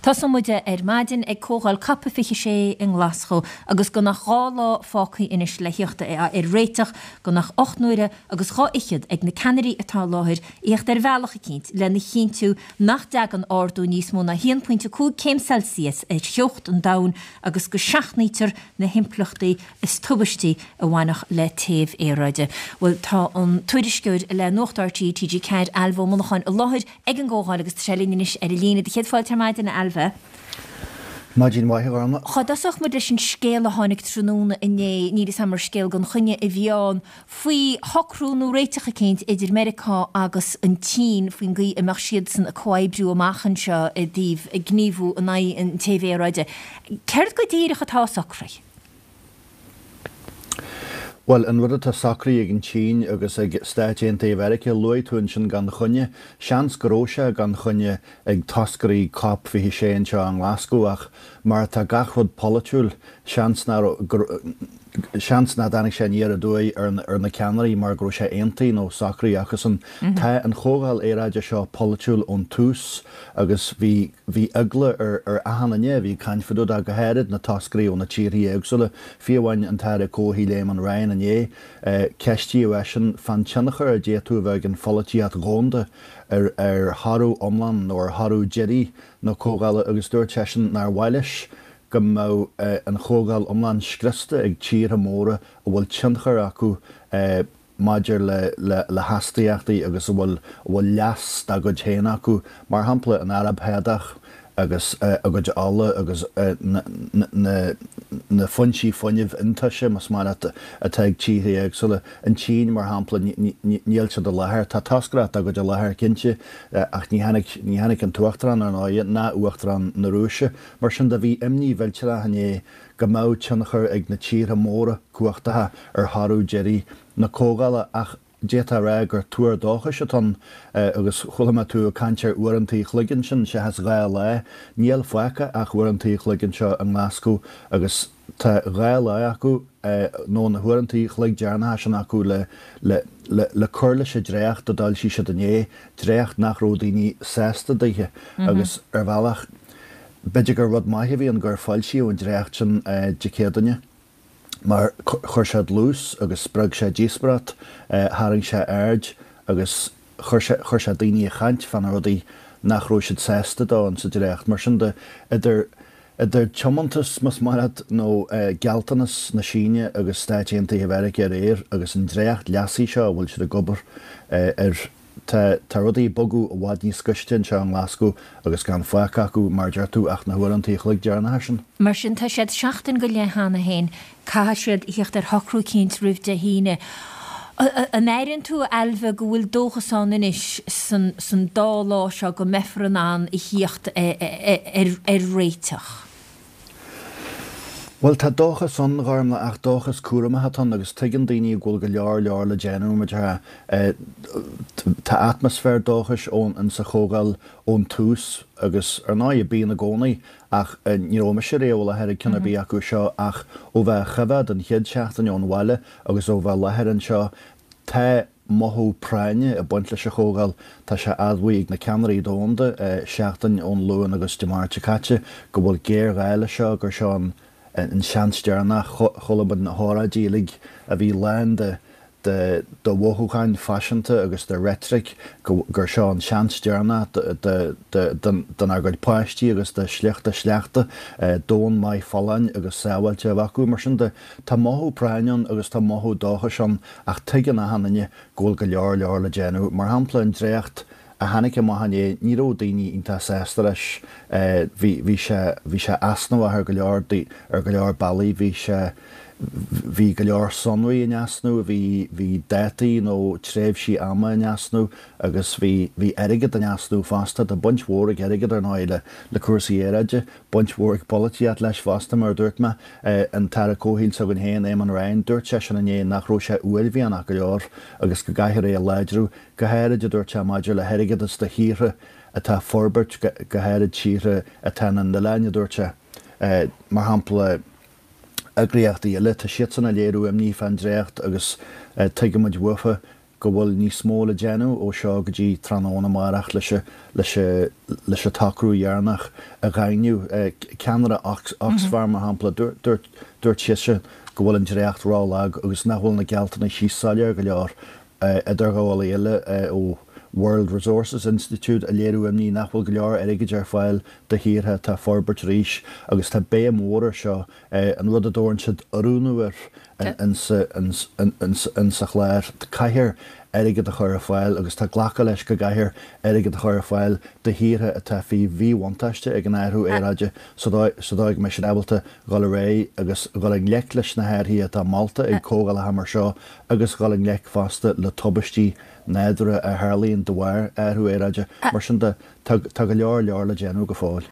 Tosóidh muid ar maidin ag Comhdháil Cop 26 i nGlaschú agus gan ach 2 lá fágtha anois le thíocht ar réiteach, gan ach 8 n-uaire agus 2 fhichead ag na ceannairí atá i láthair a thíocht ar bhealach eicínt lena chinntiú nach dtagann ardú níos mó ná 1.5 céim Celsius ar theocht an domhain agus go seachnaítear na himpleachtaí is tubaistí a bhainfeadh le téamh aeráide. Bhuel, tá an tuairisceoir le Nuacht RTÉ TG4, Ailbhe Ó Monacháin, i láthair ag an gcomhdháil agus tá sé linn anois ar an líne. Do chéad fáilte ar maidin, a Ailbhe. Maidin mhaith, a Ghormfhlaith. Cá dtosódh muid leis an scéal a tháinig tráthnóna inné, níl 'fhios a'm ar scéal gan choinne a bhí ann, faoi shocrú nó réiteach eicínt idir Meiriceá agus an tSín faoin gcaoi a mbeadh siadsan ag comhoibriú amach anseo i dtaobh gníomhú in aghaidh an téimh aeráide. Céard go díreach atá socraithe? Bhuel, an rud atá socraithe ag an tSín agus ag Stáit Aontaithe Mheiriceá, luaigh tú ansin gan choinne. Seans go raibh sé gan choinne ag toscairí Cop 26 anseo i nGlasgow ach mar atá gach rud polaitiúil, seans nach raibh, go, seans nach dtáinig sé aniar aduaidh ar ar na ceannairí mar go raibh sé aontaithe nó socraithe acusan. Tá an chomhdháil aeráide seo polaitiúil ón tús agus bhí. Bhí eagla ar ar achan duine a bhí ag caint fá dtaobh de, go háirid na toscairí ó na tíorthaí éagsúla, fiú amháin an tAire Comhshaoil Éamon Ryan inné. Ceistíodh eisean fán tionchar a d'fhéadfadh a bheith ag an pholaitíocht dhomhanda ar ar thoradh iomlán nó ar thoradh deiridh na comhdhála agus dúirt seisean nár mhaith leis go mbeadh an chomhdháil iomlán scriosta ag tíortha móra a bhfuil tionchar acu maidir le hastaíochtaí agus a bhfuil a bhfuil leas dá gcuid féin acu, mar shampla an Araib Shádach agus a gcuid ola agus na foinsí fuinnimh iontaise, más maith leat, atá ag tíortha éagsúla. An tSín, mar shampla, níl siad i láthair. Tá toscaireacht dá gcuid i láthair, cinnte, ach ní tháinig ní tháinig an tUachtarán, ar ndóigh, ná Uachtarán na Rúise. Mar sin de, bhí imní mhillteanach inné go mbeadh tionchar ag na tíortha móra cumhachtacha ar thoradh deiridh na comhdhála ach d'fhéadfá a rá gur tuar dóchais atá ann agus chuala mé tú ag caint ar uaireanta an chloig ansin seachas 2 lá. Níl fágtha ach uaireanta an chloig anseo i nGlaschú agus tá 2 lá acu nó na huaireanta an chloig deireanacha sin acu le le le cur leis an dréacht a d'fhoilsigh siad inné, dréacht nach raibh daoine sásta daoithe agus ar bhealach B'fhéidir gur rud maith a bhí ann gur foilsíodh an dréacht sin Dé Céadaoine mar chuir sé dlús agus spreag sé díospóireacht, tharraing sé aird agus chuir sé chuir sé daoine ag caint fá na rudaí nach raibh siad sásta dó insa dréacht. Mar sin de, idir idir tiomantas, más maith leat, nó gealltanas na Síne agus Stáit Aontaithe Mheiriceá aréir agus an dréacht leasaithe seo a bhfuil siad ag obair air, Tá tá rudaí ag bogadh i bhfad níos gaiste anseo i nGlaschú agus gan fágtha acu, mar a deir tú, ach na huaireanta an chloig deireanacha sin. Mar sin, tá siad seachtain go leith cheana féin, caithfidh siad a thíocht ar shocrú eicínt roimh Dé hAoine. An airíonn tú, a Ailbhe, go bhfuil dóchas ann anois san san dá lá seo go mbeifear in ann a thíocht ar réiteach? Bhuel, tá dóchas ann, a Ghormfhlaith, ach dóchas cúramach atá ann agus tuigeann daoine go bhfuil go leor leor le déanamh, mar a déarfá. Tá atmaisféar dóchais ann sa chomhdháil ón tús agus, ar ndóigh, bíonn i gcónaí ach ní raibh mise riamh i láthair ag ceann ar bith acu seo ach ó bheith á choimhéad an chéad seachtain ón bhaile agus ó bheith i láthair anseo, tá mothú práinne ag baint leis an chomhdháil. Tá sé admhaithe ag na ceannairí domhanda, seachtain ón Luan agus Dé Máirt seo caite, go bhfuil géarghá leis seo, gur seo an seans deireanach. Chuala muid na hóráidí uilig a bhí lán de de mhothúcháin phaiseanta agus de reitric gur seo an seans deireanach donár gcuid páistí agus do shliocht a sleachta domhan maith folláin agus sábháilte a bheith acu. Mar sin de, tá mothú práinne ann agus tá mothú dóchais ann Ach tuigeann achan duine go bhfuil go leor leor le déanamh. Mar shampla, an dréacht a tháinig amach inné, ní raibh daoine iontach sásta leis. Bhí, bhí sé, bhí sé easnamhach ar go leor, ar go leor bealaí. Bhí sé, bhí go leor sonraí in easnamh, bhí, bhí dátaí nó tréimhsí ama in easnamh agus bhí, bhí airgead in easnamh fosta. Tá baint mhór ag airgead, ar ndóigh, le, le cúrsaí aeráide. Baint mhór ag polaitíocht leis fosta, mar a dúirt mé. An tAire Comhshaoil s'againn féin, Éamon Ryan, dúirt seisean inné nach raibh sé uaillmhianach go leor agus go gcaithfear é a láidriú, go háirid, a dúirt sé, maidir le hairgeadas do thíortha atá ag forbairt, go háirid tíortha atá ina n-oileáin, a dúirt sé. Mar shampla, eagraíochtaí eile, tá siadsan ag léiriú imní fán dréacht agus tuigimid uafa. go bhfuil níos mó le déanamh ó seo go dtí tráthnóna amárach leis leis an tsocrú dheireanach a dhaingniú. Ceannaire Oxfam, mar shampla, dúirt dúirt sise go bhfuil an dréacht rólag agus nach bhfuil na gealltanais soiléir go leor. Idirghabhálaí eile ó World Resources Institute ag léiriú imní nach bhfuil go leor airgid ar fáil do thíortha atá ag forbairt arís agus tá béim mhór air seo, an rud a dtabharann siad oiriúnú air insa chlár. Caithfear airgead a chur ar fáil agus tá glactha leis go gcaithfear airgead a chur ar fáil do thíortha atá faoi mhíbhuntáiste ag an athrú aeráide sa dóigh go mbeidh siad ábalta dhul ar aghaidh agus dhul i ngleic leis na hathruithe atá molta ag comhdhálacha mar seo agus dhul i ngleic fosta le tubaistí nádúrtha a tharlaíonn de bharr athrú aeráide. Mar sin de, tá go leor leor le déanamh go fóill.